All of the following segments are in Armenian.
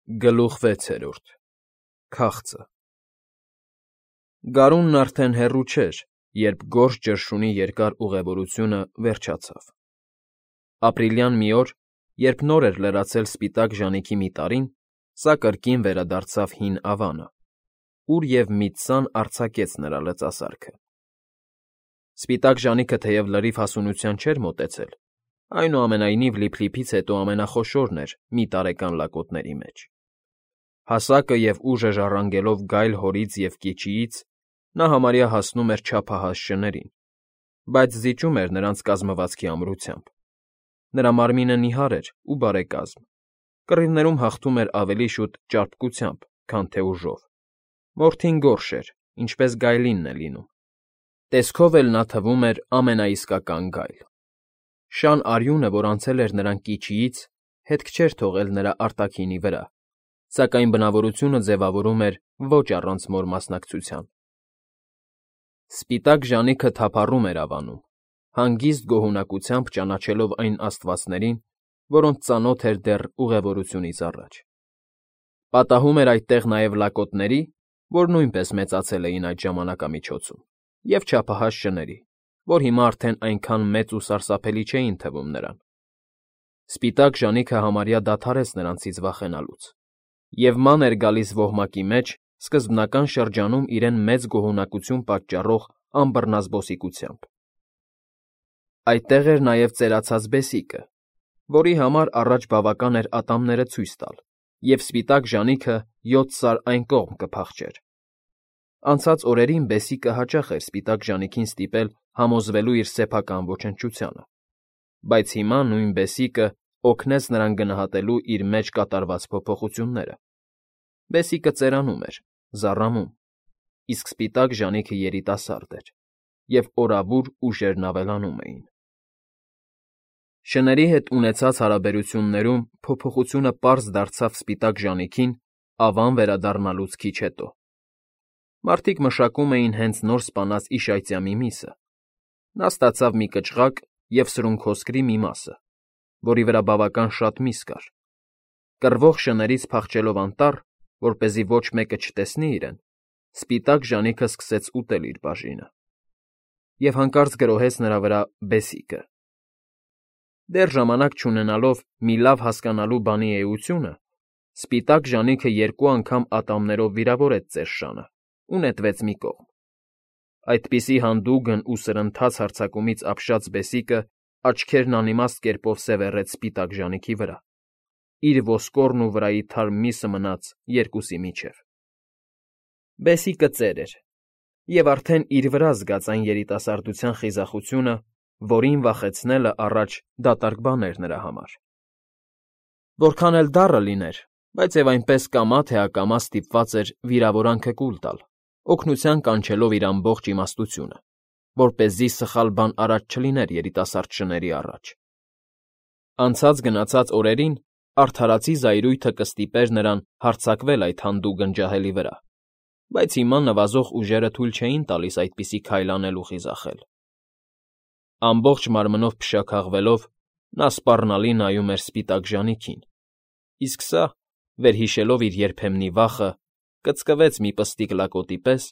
Գլուխ 6 Քաղցը Գարունն արդեն հեռու չէր, երբ գորշ ճռշունի երկար ուղևորությունը վերջացավ։ Ապրիլյան մի օր, երբ նոր էր լրացել սպիտակ ժանիքի մի տարին, սա կրկին վերադարձավ հին Ավանը, ուր և մի ձան արձակեց նրա լծասարքը։ Սպիտակ ժանիքը թեև լրիվ հասունության չէր մոտեցել, այնուամենայնիվ լիփլիփից հետո ամենախոշորն էր մի տարեկան լակոտների մեջ։ Հասակը և ուժը ժառանգելով գայլ հորից և կիչիից, նա համարյա հասնում էր չափահաս շներին, բայց զիջում էր նրանց կազմվածքի ամրությամբ։ Նրա մարմինը նիհար էր ու բարեկազմ, կռիվներում հաղթում էր ավելի շուտ ճարպկությամբ, քան թե ուժով։ Մորթին գորշ էր, ինչպես գայլինն է լինում։ Տեսքով էլ նա թվում էր ամենաիսկական գայլ։ Շան արյունը, որ անցել էր նրան կիչիից, հետք չէր թողել նրա արտաքինի վրա, սակայն բնավորությունը ձևավորում էր ոչ առանց մոր մասնակցության։ Սպիտակ ժանիքը թափառում էր Ավանում, հանգիստ գոհունակությամբ ճանաչելով այն աստվածներին, որոնց ծանոթ էր դեռ ուղևորությունից առաջ։ Պատահում էր այդտեղ նաև լակոտների, որ նույնպես մեծացել էին այդ ժամանակամիջոցում, և չափահաս շների, որ հիմա արդեն այնքան մեծ ու սարսափելի չէին թվում նրան։ Սպիտակ ժանիքը համարյա դադարեց նրանցից վախենալուց, և ման էր գալիս ոհմակի մեջ սկզբնական շրջանում իրեն մեծ գոհունակություն պատճառող ամբռնազբոսիկությամբ։ Այդտեղ էր նաև ծերացած բեսիկը, որի համար առաջ բավական էր ատամները ցույց տալ, և սպիտակ ժանիքը 7 սար այն կողմ կփախչեր։ Անցած օրերին բեսիկը հաճախ էր սպիտակ ժանիքին ստիպել համոզվելու իր սեփական ոչնչությանը, բայց հիմա նույն բեսիկը օգնեց նրան գնահատելու իր մեջ կատարված փոփոխությունները։ Բեսիկը ծերանում էր, զառամում, իսկ սպիտակ ժանիքը երիտասարդ էր, և օրավուր ուժերն ավելանում էին։ Շների հետ ունեցած հարաբերություններում փոփոխությունը պարզ դարձավ սպիտակ ժանիքին Ավան վերադառնալուց քիչ հետո։ Մարդիկ մշակում էին հենց նոր սպանած իշայծյա մի միսը։ Նա ստացավ մի կչղակ և սրունքոսկրի մի մասը, որի վրա բավական շատ միս կար։ Կռվող շներից փախչելով անտառ, որպեսզի ոչ մեկը չտեսնի իրեն, սպիտակ ժանիքը սկսեց ուտել իր բաժինը։ Եվ հանկարծ գրոհեց նրա վրա բեսիկը։ Դեռ ժամանակ չունենալով մի լավ հասկանալու բանի էությունը, սպիտակ ժանիքը 2 անգամ ատամներով վիրավորեց ծեր շանը ու նետվեց մի կողմ։ Այդպիսի հանդուգն ու սրընթաց հարձակումից ապշած բեսիկը աչքերն անիմաստ կերպով սևեռեց սպիտակ ժանիքի վրա, իր ոսկորն ու վրայի թարմ միսը մնաց երկուսի միջև։ Բեսիկը ծեր էր, և արդեն իր վրա զգաց այն երիտասարդության խիզախությունը, որին վախեցնելը առաջ դատարկ բան էր նրա համար։ Որքան էլ դառը լիներ, բայց և այնպես կամա թե ակամա ստիպված էր վիրավորանքը կուլ տալ, օգնության կանչելով իր ամբողջ իմաստությունը, որպեսզի սխալ բան արած չլիներ երիտասարդ շների առաջ։ Անցած֊գնացած օրերին արդարացի զայրույթը կստիպեր նրան հարձակվել այդ հանդուգն ջահելի վրա, բայց հիմա նվազող ուժերը թույլ չէին տալիս այդպիսի քայլ անել ու խիզախել։ Ամբողջ մարմնով փշաքաղվելով, նա սպառնալի նայում էր սպիտակ ժանիքին, իսկ սա, վերհիշելով իր երբեմնի վախը, կծկվեց մի պստիկ լակոտի պես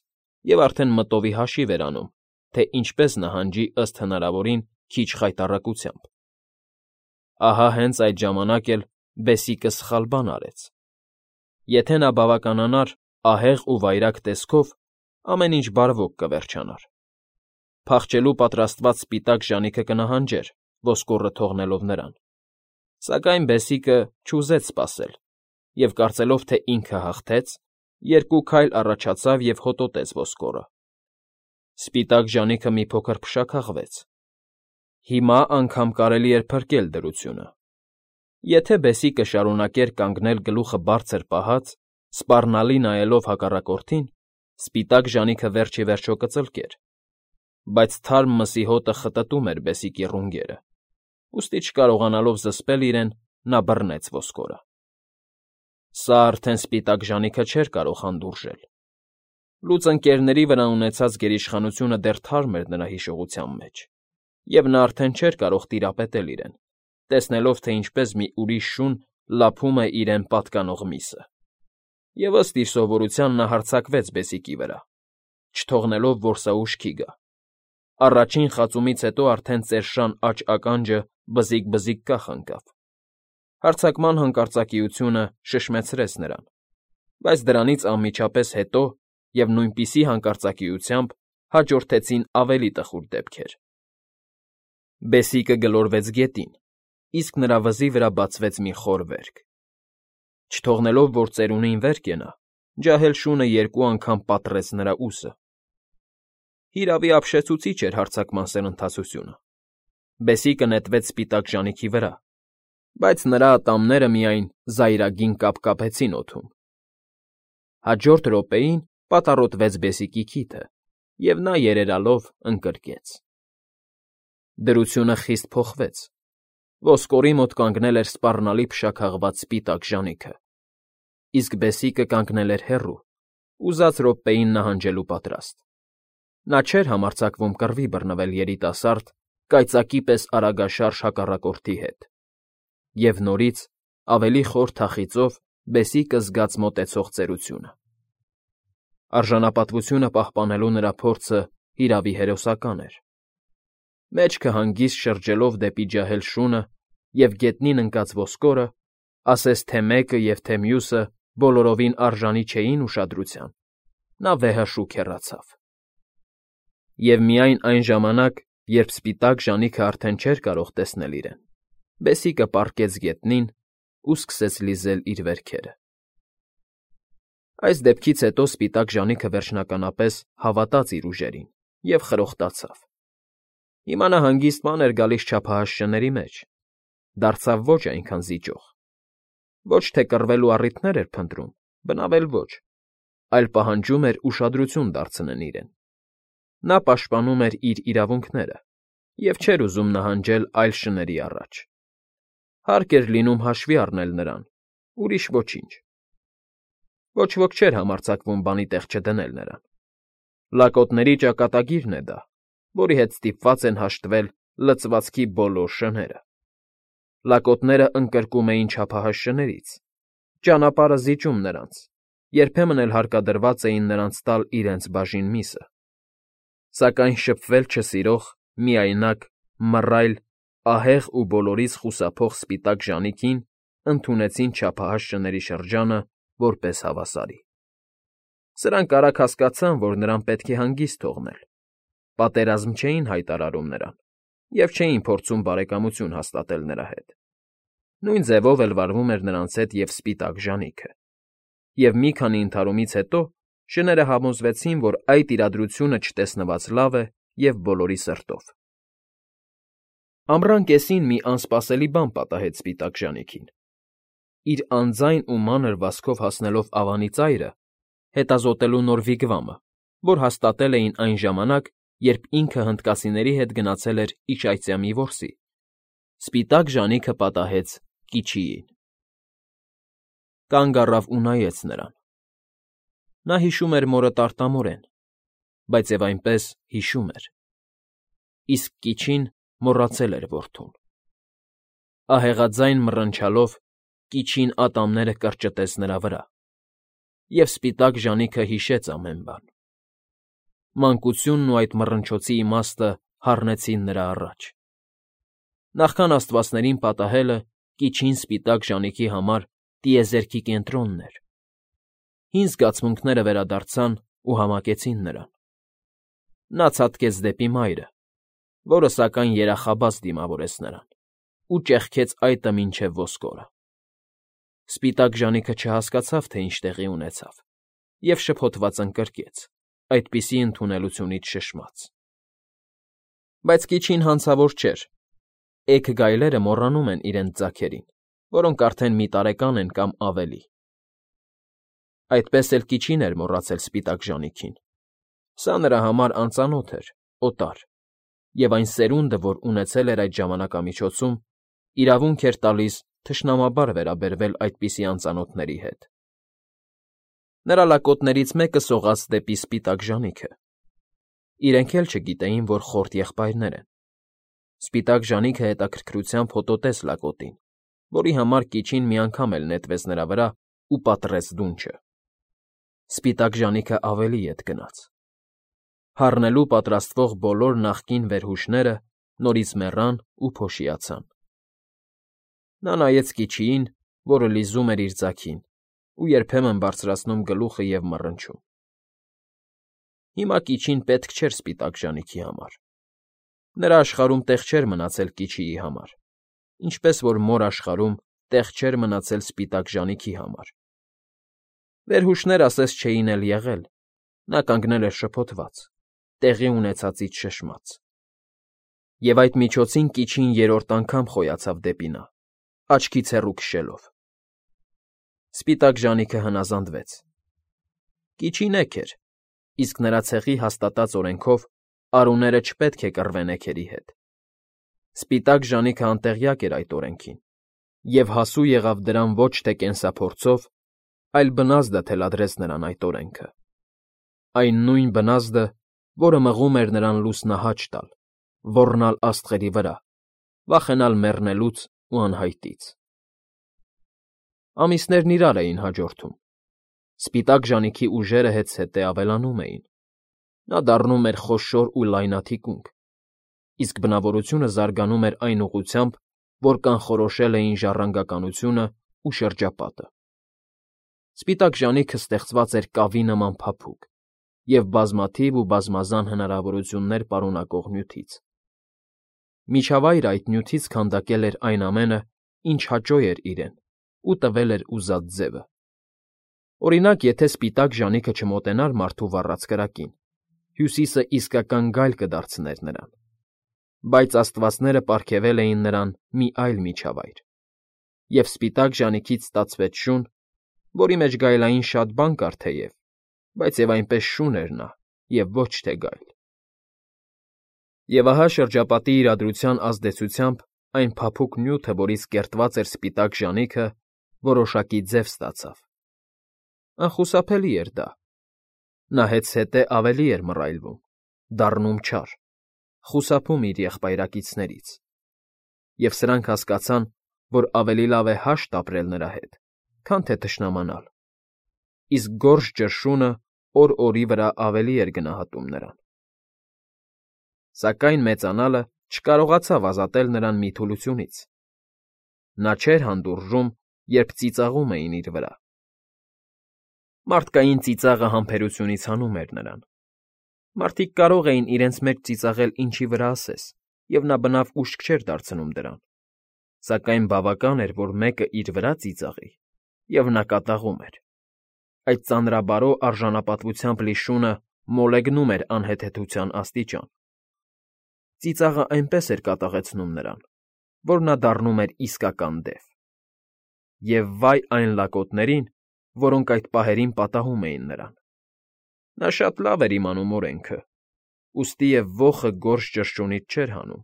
և արդեն մտովի հաշիվ էր անում, թե ինչպես նահանջի ըստ հնարավորին քիչ խայտառակությամբ։ Ահա հենց այդ ժամանակ էլ բեսիկը սխալ բան արեց։ Եթե նա բավականանար ահեղ ու վայրագ տեսքով, ամեն ինչ բարվոք կվերջանար։ Փախչելու պատրաստված սպիտակ ժանիքը կնահանջեր, ոսկորը թողնելով նրան։ Սակայն բեսիկը չուզեց սպասել և, կարծելով, թե ինքը հաղթեց, 2 քայլ առաջացավ և հոտոտեց ոսկորը։ Սպիտակ ժանիքը մի փոքր փշաքաղվեց։ Հիմա անգամ կարելի էր փրկել դրությունը։ Եթե բեսիկը շարունակեր կանգնել գլուխը բարձր պահած, սպառնալի նայելով հակառակորդին, սպիտակ ժանիքը վերջ ի վերջո կծլկեր, բայց թարմ մսի հոտը խտտում էր բեսիկի ռունգերը, ուստի չկարողանալով զսպել իրեն, նա բռնեց ոսկորը։ Սա արդեն սպիտակ ժանիքը չէր կարող հանդուրժել։ Լուծ ընկերների վրա ունեցած գերիշխանությունը դեռ թարմ էր նրա հիշողության մեջ, և նա արդեն չէր կարող տիրապետել իրեն, տեսնելով, թե ինչպես մի ուրիշ շուն լափում է իրեն պատկանող միսը։ Եվ ըստ իր սովորության նա հարձակվեց բեսիկի վրա, չթողնելով, որ սա ուշքի գա։ Առաջին խածումից հետո արդեն ծերշան աջ ականջը բզիկ-բզիկ կախ ընկավ։ Հարձակման հանկարծակիությունը շշմեցրեց նրան, բայց դրանից անմիջապես հետո և նույնպիսի հանկարծակիությամբ հաջորդեցին ավելի տխուր դեպքեր։ Բեսիկը գլորվեց գետին, իսկ նրա վզի վրա բացվեց մի խոր վերք։ Չթողնելով, որ ծերունին վեր կենա, ջահել շունը երկու անգամ պատռեց նրա ուսը։ Հիրավի ապշեցուցիչ էր հարձակման սրընթացությունը։ Բեսիկը նետվեց սպիտակ ժանիքի վրա, բայց նրա ատամները միայն զայրագին կապկապեցին օդում։ Հաջորդ րոպեին պատառոտվեց բեսիկի քիթը, և նա երերալով ընկրկեց։ Դրությունը խիստ փոխվեց։ Ոսկորի մոտ կանգնել էր սպառնալի փշաքաղված սպիտակ ժանիքը, իսկ բեսիկը կանգնել էր հեռու, ուզած րոպեին նահանջելու պատրաստ։ Նա չէր համարձակվում կռվի բռնվել երիտասարդ, կայծակի պես արագաշարժ հակառակորդի հետ։ Եվ նորից, ավելի խոր թախիծով, բեսիկը զգաց մոտեցող ծերությունը։ Արժանապատվությունը պահպանելու նրա փորձը հիրավի հերոսական էր։ Մեջքը հանգիստ շրջելով դեպի ջահել շունը և գետնին ընկած ոսկորը, ասես թե մեկը և թե մյուսը բոլորովին արժանի չէին ուշադրության, նա վեհաշուք հեռացավ։ Եվ միայն այն ժամանակ, երբ սպիտակ ժանիքը արդեն չէր կարող տեսնել իրեն, բեսիկը պառկեց գետնին ու սկսեց լիզել իր վերքերը։ Այս դեպքից հետո սպիտակ ժանիքը վերջնականապես հավատաց իր ուժերին և խրոխտացավ։ Հիմա նա հանգիստ բան էր գալիս չափահաս շների մեջ, դարձավ ոչ այնքան զիջող։ Ոչ թե կռվելու առիթներ էր փնտրում, բնավել ոչ, այլ պահանջում էր ուշադրություն դարձնեն իրեն։ Նա պաշտպանում էր իր իրավունքները և չէր ուզում նահանջել այլ շների առաջ։ Հարկ էր լինում հաշվի առնել նրան, ուրիշ ոչինչ։ Ոչ ոք չէր համարձակվում բանի տեղ չդնել նրան։ Լակոտների ճակատագիրն է դա, որի հետ ստիպված են հաշտվել լծվածքի բոլոր շները։ Լակոտները ընկրկում էին չափահաս շներից, ճանապարհը զիջում նրանց, երբեմն էլ հարկադրված էին նրանց տալ իրենց բաժին միսը։ Սակայն շփվել չսիրող, միայնակ, մռայլ, ահեղ ու բոլորից խուսափող սպիտակ ժանիքին ընդունեցին չափահաս շների շրջանը որպես հավասարի։ Սրանք արագ հասկացան, որ նրան պետք է հանգիստ թողնել, պատերազմ չէին հայտարարում նրան և չէին փորձում բարեկամություն հաստատել նրա հետ։ Նույն ձևով էլ վարվում էր նրանց հետ և սպիտակ ժանիքը։ Եվ մի քանի ընդհարումից հետո շները համոզվեցին, որ այդ իրադրությունը չտեսնված լավ է և բոլորի սրտով։ Ամռան կեսին մի անսպասելի բան պատահեց սպիտակ ժանիքին։ Իր անձայն ու մանր վազքով հասնելով ավանի ծայրը, հետազոտելու նոր վիգվամը, որ հաստատել էին այն ժամանակ, երբ ինքը հնդկացիների հետ գնացել էր Իջայցյամի որսի, սպիտակ ժանիքը պատահեց Կիչիին։ Կանգ առավ ու նայեց նրան։ Նա հիշում էր մորը տարտամորեն, բայց և այնպես հիշում էր։ Իսկ Կիչին մոռացել էր որդուն։ Ահեղաձայն մռնչալով Կիչին ատամները կրճտեց նրա վրա, և սպիտակ ժանիքը հիշեց ամեն բան։ Մանկությունն ու այդ մռնչոցի իմաստը հառնեցին նրա առաջ։ Նախքան աստվածներին պատահելը Կիչին սպիտակ ժանիքի համար տիեզերքի կենտրոնն էր։ Հին զգացմունքները վերադարձան ու համակեցին նրան։ Նա ցատկեց դեպի մայրը, որը սակայն երախաբաց դիմավորեց նրան, ու ճեղքեց այտը մինչև ոսկորը։ Սպիտակ ժանիքը չհասկացավ, թե ինչ տեղի ունեցավ, և շփոթված ընկրկեց, այդպիսի ընդունելությունից շշմած։ Բայց Կիչին հանցավոր չէր։ Էգ գայլերը մոռանում են իրենց ձագերին, որոնք արդեն մի տարեկան են կամ ավելի։ Այդպես էլ Կիչին էր մոռացել սպիտակ ժանիքին։ Սա նրա համար անծանոթ էր, օտար, և այն սերունդը, որ ունեցել էր այդ ժամանակամիջոցում, իրավունք էր տալիս թշնամաբար վերաբերվել այդպիսի անծանոթների հետ։ Նրա լակոտներից մեկը սողաց դեպի սպիտակ ժանիքը։ Իրենք էլ չգիտեին, որ խորտ եղբայրներ են։ Սպիտակ ժանիքը հետաքրքրությամբ հոտոտեց լակոտին, որի համար Կիչին մի անգամ էլ նետվեց նրա վրա ու պատռեց դունչը։ Սպիտակ ժանիքը ավելի ետ գնաց։ Հառնելու պատրաստվող բոլոր նախկին վերհուշները նորից մեռան ու փոշիացան։ Նա նայեց Կիչիին, որը լիզում էր իր ձագին ու երբեմն բարձրացնում գլուխը և մռնչում։ Հիմա Կիչին պետք չէր սպիտակ ժանիքի համար։ Նրա աշխարհում տեղ չէր մնացել Կիչիի համար, ինչպես որ Մոր աշխարհում տեղ չէր մնացել սպիտակ ժանիքի համար։ Վերհուշներ ասես չէին էլ եղել, նա կանգնել էր շփոթված, տեղի ունեցածից շշմած։ Եվ այդ միջոցին Կիչին երրորդ անգամ խոյացավ դեպի նա, աչքից հեռու քշելով։ Սպիտակ ժանիքը հնազանդվեց։ Կիչին էգ էր, իսկ նրա ցեղի հաստատած օրենքով արուները չպետք է կռվեն էգերի հետ։ Սպիտակ ժանիքը անտեղյակ էր այդ օրենքին և հասու եղավ դրան ոչ թե կենսափորձով, այլ բնազդը թելադրեց նրան այդ օրենքը։ Այն նույն բնազդը, որը մղում էր նրան լուսնահաճ տալ, ոռնալ աստղերի վրա, վախենալ մեռնելուց ու անհայտից։ Ամիսներն իրար էին հաջորդում։ Սպիտակ ժանիքի ուժերը հետզհետե ավելանում էին։ Նա դառնում էր խոշոր ու լայնաթիկունք, իսկ բնավորությունը զարգանում էր այն ուղղությամբ, որ կանխորոշել էին ժառանգականությունն ու շրջապատը։ Սպիտակ ժանիքը ստեղծված էր կավի նման փափուկ և բազմաթիվ ու բազմազան հնարավորություններ պարունակող նյութից։ Միջավայրը այդ նյութից քանդակել էր այն ամենը, ինչ հաճո էր իրեն, ու տվել էր ուզած ձևը։ Օրինակ, եթե սպիտակ ժանիքը չմոտենար մարդու վառած կրակին, Հյուսիսը իսկական գայլ կդարձներ նրան։ Բայց աստվածները պարգևել էին նրան մի այլ միջավայր, և սպիտակ ժանիքից ստացվեց շուն, որի մեջ գայլային շատ բան կար թեև, բայց և այնպես շուն էր նա, և ոչ թե գայլ։ Եվ ահա շրջապատի իրադրության ազդեցությամբ այն փափուկ նյութը, որից կերտված էր սպիտակ ժանիքը, որոշակի ձև ստացավ։ Անխուսափելի էր դա։ Նա հետզհետե ավելի էր մռայլվում, դառնում չար, խուսափում իր եղբայրակիցներից։ Եվ սրանք հասկացան, որ ավելի լավ է հաշտ ապրել նրա հետ, քան թե թշնամանալ, իսկ գորշ ճրշունը օր օրի վրա ավելի էր գնահատում նրան։ Սակայն մեծանալը չկարողացավ ազատել նրան մի թուլությունից։ Նա չէր հանդուրժում, երբ ծիծաղում էին իր վրա։ Մարդկային ծիծաղը համբերությունից հանում էր նրան։ Մարդիկ կարող էին իրենց մեջ ծիծաղել ինչի վրա ասես, և նա բնավ ուշք չէր դարձնում դրան։ Սակայն բավական էր, որ մեկը իր վրա ծիծաղի, և նա կատաղում էր։ Այդ ծանրաբարո արժանապատվությամբ լի շունը մոլեգնում էր անհեթեթության աստիճան։ Ծիծաղը այնպես էր կատաղեցնում նրան, որ նա դառնում էր իսկական դև։ Եվ վայ այն լակոտներին, որոնք այդ պահերին պատահում էին նրան։ Նա շատ լավ էր իմանում օրենքը, ուստի և ոխը գորշ ճրճունից չէր հանում։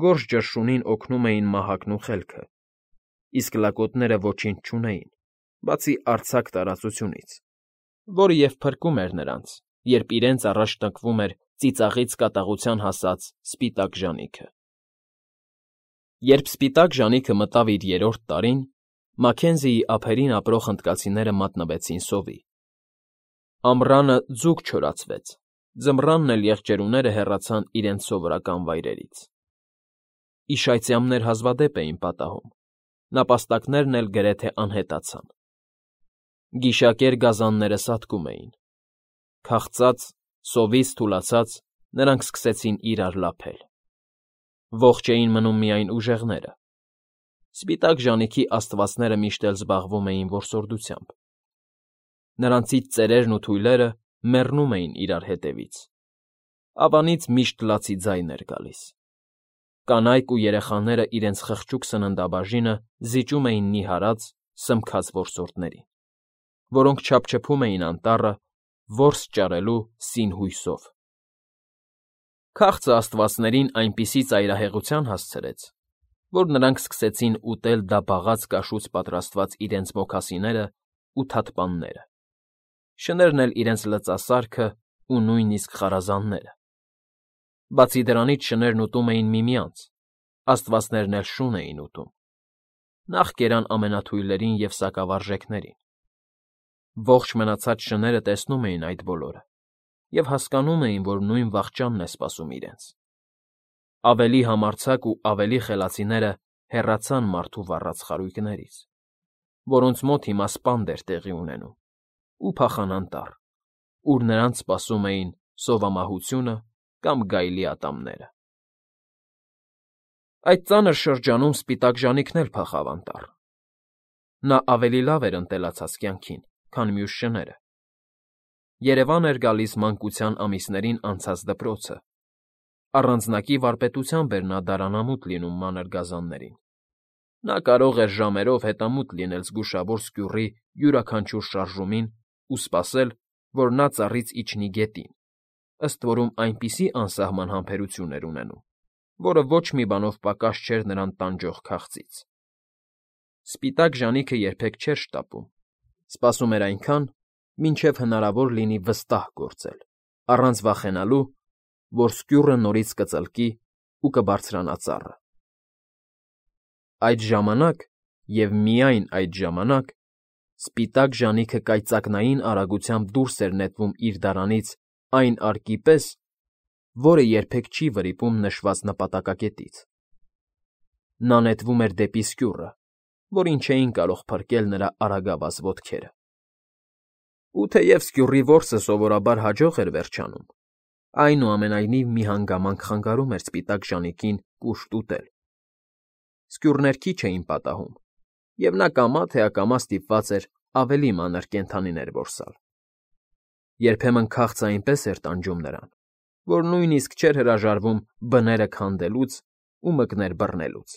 Գորշ ճրճունին օգնում էին մահակն ու խելքը, իսկ լակոտները ոչինչ չունեին, բացի արձակ տարածությունից, որը և փրկում էր նրանց, երբ իրենց առաջ տնկվում էր ծիծաղից կատաղության հասած սպիտակ ժանիքը։ Երբ սպիտակ ժանիքը մտավ իր երրորդ տարին, Մաքենզիի ափերին ապրող հնդկացիները մատնվեցին սովի։ Ամռանը ձուկ չորացվեց, ձմռանն էլ եղջերուները հեռացան իրենց սովորական վայրերից։ Իշայծյամներ հազվադեպ էին պատահում, նապաստակներն էլ գրեթե անհետացան։ Գիշակեր գազանները սատկում էին։ Քաղցած, սովից թուլացած, նրանք սկսեցին իրար լափել։ Ողջ էին մնում միայն ուժեղները։ Սպիտակ ժանիքի աստվածները միշտ էլ զբաղվում էին որսորդությամբ։ Նրանցից ծերերն ու թույլերը մեռնում էին իրար հետևից։ Ավանից միշտ լացի ձայն էր գալիս։ Կանայք ու երեխաները իրենց խղճուկ սննդաբաժինը զիջում էին նիհարած, սմքած որսորդներին, որոնք չափչփում էին անտառը, որս ճարելու սին հույսով։ Քաղցը աստվածներին այնպիսի ծայրահեղության հասցրեց, որ նրանք սկսեցին ուտել դաբաղած կաշուց պատրաստված իրենց մոքասիներն ու թաթպանները, շներն էլ իրենց լծասարքը ու նույնիսկ խարազանները։ Բացի դրանից շներն ուտում էին միմյանց, աստվածներն էլ շուն էին ուտում։ Նախ կերան ամենաթույլներին և սակավարժեքներին։ Ողջ մնացած շները տեսնում էին այդ բոլորը և հասկանում էին, որ նույն վախճանն է սպասում իրենց։ Ավելի համարձակ ու ավելի խելացիները հեռացան մարդու վառած խարույկներից, որոնց մոտ հիմա սպանդ էր տեղի ունենում, ու փախան անտառ, ուր նրանց սպասում էին սովամահությունը կամ գայլի ատամները։ Այդ ծանր շրջանում սպիտակ ժանիքն էլ փախավ անտառ։ Նա ավելի լավ էր ընտելացած կյանքին, քան մյուս շները։ Երևան էր գալիս մանկության ամիսներին անցած դպրոցը։ Առանձնակի վարպետությամբ էր նա դարանամուտ լինում մանր գազաններին։ Նա կարող էր ժամերով հետամուտ լինել զգուշավոր սկյուռի յուրաքանչյուր շարժումին ու սպասել, որ նա ծառից իջնի գետին, ըստ որում այնպիսի անսահման համբերություն էր ունենում, որը ոչ մի բանով պակաս չէր նրան տանջող քաղցից։ Սպիտակ ժանիքը երբեք չէր շտապում, սպասում էր այնքան, մինչև հնարավոր լինի վստահ գործել, առանց վախենալու, որ սկյուռը նորից կծլկի ու կբարձրանա ծառը։ Այդ ժամանակ, և միայն այդ ժամանակ, սպիտակ ժանիքը կայծակնային արագությամբ դուրս էր նետվում իր դարանից այն արկի պես, որը երբեք չի վրիպում նշված նպատակակետից։ Նա նետվում էր դեպի սկյուռը, որին չէին կարող փրկել նրա արագավազ ոտքերը։ Ու թեև սկյուռի որսը սովորաբար հաջող էր վերջանում, այնուամենայնիվ մի հանգամանք խանգարում էր սպիտակ ժանիքին կուշտ ուտել։ Սկյուռներ քիչ էին պատահում, և նա կամա թե ակամա ստիպված էր ավելի մանր կենդանիներ որսալ։ Երբեմն քաղցը այնպես էր տանջում նրան, որ նույնիսկ չէր հրաժարվում բները քանդելուց ու մկներ բռնելուց։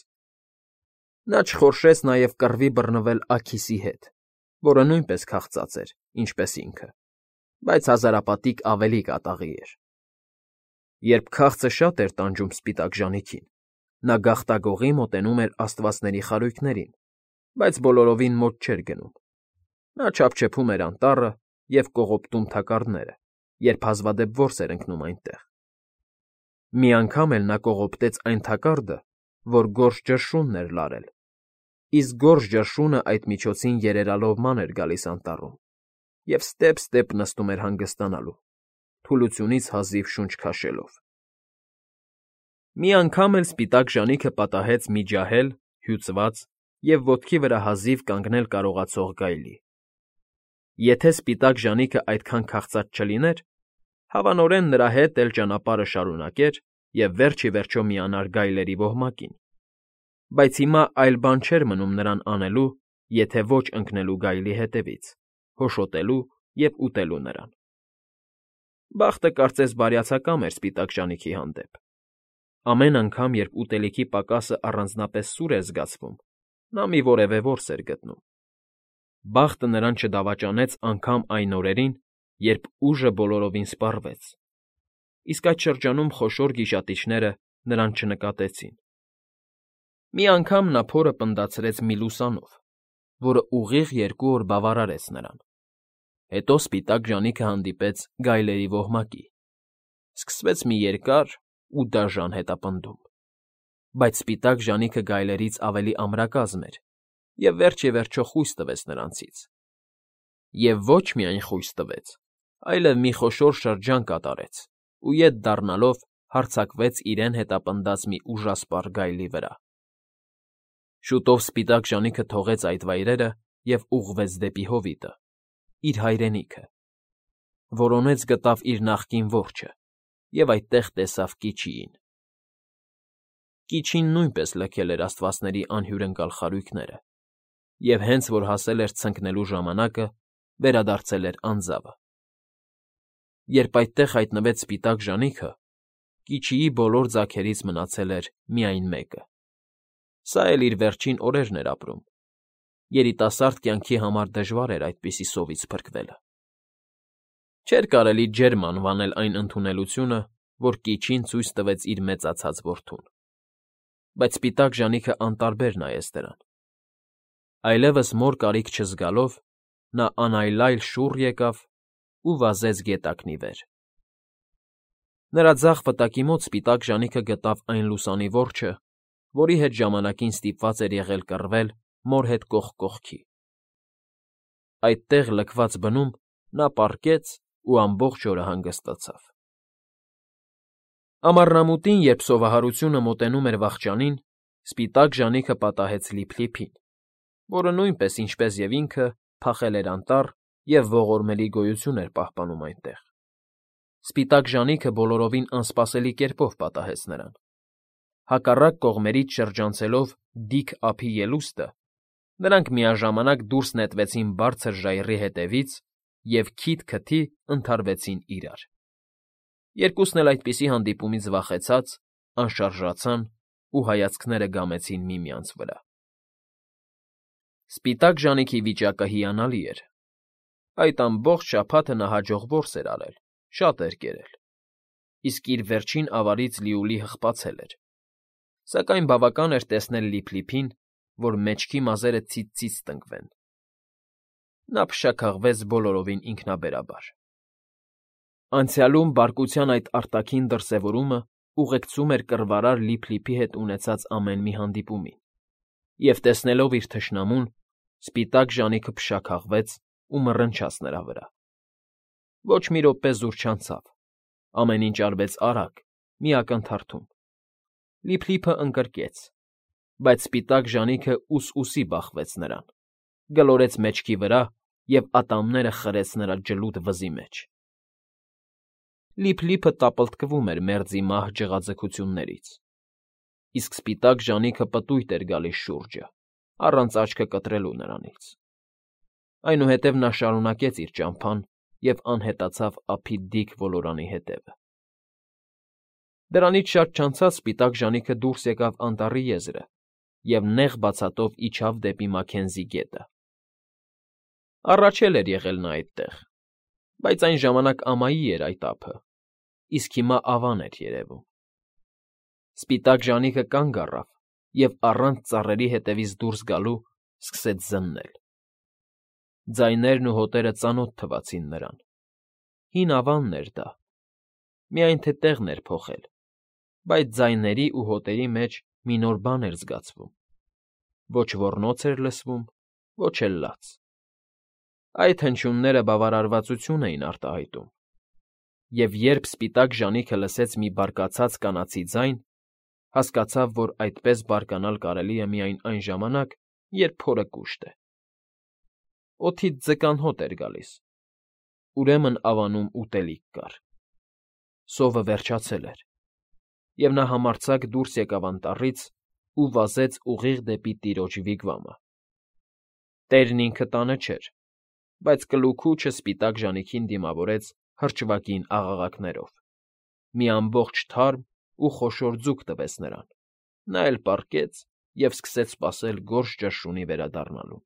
Նա չխորշեց նաև կռվի բռնվել Աքիսի հետ, որը նույնպես քաղցած էր, ինչպես ինքը, բայց հազարապատիկ ավելի կատաղի էր։ Երբ քաղցը շատ էր տանջում սպիտակ ժանիքին, նա գաղտագողի մոտենում էր աստվածների խարույկներին, բայց բոլորովին մոտ չէր գնում։ Նա չափչփում էր անտառը և կողոպտում թակարդները, երբ հազվադեպ որս էր ընկնում այնտեղ։ Մի անգամ էլ նա կողոպտեց այն թակարդը, որ գորշ ճռշունն էր լարել, իսկ գորշ ճռշունը այդ միջոցին երերալով ման էր գալիս անտառում և ստեպ֊ստեպ նստում էր հանգստանալու, թուլությունից հազիվ շունչ քաշելով։ Մի անգամ էլ սպիտակ ժանիքը պատահեց մի ջահել, հյուծված և ոտքի վրա հազիվ կանգնել կարողացող գայլի։ Եթե սպիտակ ժանիքը այդքան քաղցած չլիներ, հավանորեն նրա հետ էլ ճանապարհը շարունակեր և վերջ ի վերջո միանար գայլերի ոհմակին, բայց հիմա այլ բան չէր մնում նրան անելու, եթե ոչ ընկնելու գայլի հետևից, հոշոտելու և ուտելու նրան։ Բախտը կարծես բարյացակամ էր սպիտակ ժանիքի հանդեպ։ Ամեն անգամ, երբ ուտելիքի պակասը առանձնապես սուր էր զգացվում, նա մի որևէ որս էր գտնում։ Բախտը նրան չդավաճանեց անգամ այն օրերին, երբ ուժը բոլորովին սպառվեց, իսկ այդ շրջանում խոշոր գիշատիչները նրան չնկատեցին։ Մի անգամ նա փորը պնդացրեց մի լուսանով, որը ուղիղ 2 օր բավարարեց նրան։ Հետո սպիտակ ժանիքը հանդիպեց գայլերի ոհմակի։ Սկսվեց մի երկար ու դաժան հետապնդում, բայց սպիտակ ժանիքը գայլերից ավելի ամրակազմ էր և վերջ ի վերջո խույս տվեց նրանցից։ Եվ ոչ միայն խույս տվեց, այլև մի խոշոր շրջան կատարեց ու ետ դառնալով հարձակվեց իրեն հետապնդած մի ուժասպառ գայլի վրա։ Շուտով սպիտակ ժանիքը թողեց այդ վայրերը և ուղղվեց դեպի հովիտը, իր հայրենիքը։ Որոնեց գտավ իր նախկին որջը և այդտեղ տեսավ Կիչիին։ Կիչին նույնպես լքել էր աստվածների անհյուրընկալ խարույկները և հենց որ հասել էր ցնկնելու ժամանակը, վերադարձել էր անձավը։ Երբ այդտեղ հայտնվեց սպիտակ ժանիքը, Կիչիի բոլոր ձագերից մնացել էր միայն մեկը։ Սա էլ իր վերջին օրերն էր ապրում։ Երիտասարդ կյանքի համար դժվար էր այդպիսի սովից փրկվելը։ Չէր կարելի ջերմ անվանել այն ընդունելությունը, որ Կիչին ցույց տվեց իր մեծացած որդուն։ Բայց սպիտակ ժանիքը անտարբեր նայեց դրան։ Այլևս մոր կարիք չզգալով, նա անայլայլ շուռ եկավ ու վազեց գետակնի վեր։ Նրա ձախ վտակի մոտ սպիտակ ժանիքը գտավ այն լուսանի որջը, որի հետ ժամանակին ստիպված էր եղել կռվել մոր հետ կողք կողքի։ Այդտեղ լքված բնում նա պառկեց ու ամբողջ օրը հանգստացավ։ Ամառնամուտին, երբ սովահարությունը մոտենում էր վախճանին, սպիտակ ժանիքը պատահեց Լիփլիփին, որը նույնպես, ինչպես և ինքը, փախել էր անտառ և ողորմելի գոյություն էր պահպանում այնտեղ։ Սպիտակ ժանիքը բոլորովին անսպասելի կերպով պատահեց նրան։ Հակառակ կողմերից շրջանցելով դիք ափի ելուստը, նրանք միաժամանակ դուրս նետվեցին բարձր ժայռի ետևից և քիթ֊քթի ընդհարվեցին իրար։ Երկուսն էլ այդպիսի հանդիպումից վախեցած, անշարժացան ու հայացքները գամեցին միմյանց վրա։ Սպիտակ ժանիքի վիճակը հիանալի էր։ Այդ ամբողջ շաբաթը նա հաջող որս էր արել, շատ էր կերել, իսկ իր վերջին ավարից լիովին հղկացել էր, սակայն բավական էր տեսնել Լիփլիփին, որ մեջքի մազերը ցից֊ցից տնկվեն։ Նա փշաքաղվեց բոլորովին ինքնաբերաբար։ Անցյալում բարկության այդ արտաքին դրսևորումը ուղեկցում էր կռվարար Լիփլիփի հետ ունեցած ամեն մի հանդիպումին, և տեսնելով իր թշնամուն, սպիտակ ժանիքը փշաքաղվեց ու մռնչաց նրա վրա։ Ոչ մի րոպե զուր չանցավ, ամեն ինչ արվեց արագ, մի ակնթարթում։ Լիփլիփը ընկրկեց, բայց սպիտակ ժանիքը ուս֊ուսի բախվեց նրան, գլորեց մեջքի վրա և ատամները խրեց նրա ջլուտ վզի մեջ։ Լիփլիփը տապլտկվում էր մերձի մահ ջղաձգություններից, իսկ սպիտակ ժանիքը պտույտ էր գալիս շուրջը, առանց աչքը կտրելու նրանից։ Այնուհետև նա շարունակեց իր ճամփան և անհետացավ ափի դիք ոլորանի ետևը։ Դրանից շատ չանցած սպիտակ ժանիքը դուրս եկավ անտառի եզրը և նեղ բացատով իջավ դեպի Մաքենզի գետը։ Առաջ էլ էր եղել նա այդտեղ, բայց այն ժամանակ ամայի էր այդ ափը, իսկ հիմա ավան էր երևում։ Սպիտակ ժանիքը կանգ առավ և առանց ծառերի ետևից դուրս գալու սկսեց զննել։ Ձայներն ու հոտերը ծանոթ թվացին նրան։ Հին ավանն էր դա, միայն թե տեղն էր փոխել, բայց ձայների ու հոտերի մեջ մի նոր բան էր զգացվում. ոչ ոռնոց էր լսվում, ոչ էլ լաց։ Այդ հնչյունները բավարարվածություն էին արտահայտում, և երբ սպիտակ ժանիքը լսեց մի բարկացած կանացի ձայն, հասկացավ, որ այդպես բարկանալ կարելի է միայն այն ժամանակ, երբ փորը կուշտ է։ Օդից ձկան հոտ էր գալիս, ուրեմն ավանում ուտելիք կար։ Սովը վերջացել էր, և նա համարձակ դուրս եկավ անտառից ու վազեց ուղիղ դեպի տիրոջ վիգվամը։ Տերն ինքը տանը չէր, բայց կլուქուչը սպիտակ ժանիքին դիմավորեց հրճվագին աղաղակներով։ Մի ամբողջ թարմ ու խոշոր ձուկ տվեց նրան, նա էլ պառկեց և սկսեց սպասել գորշ ճնշունի վերադառնալուն։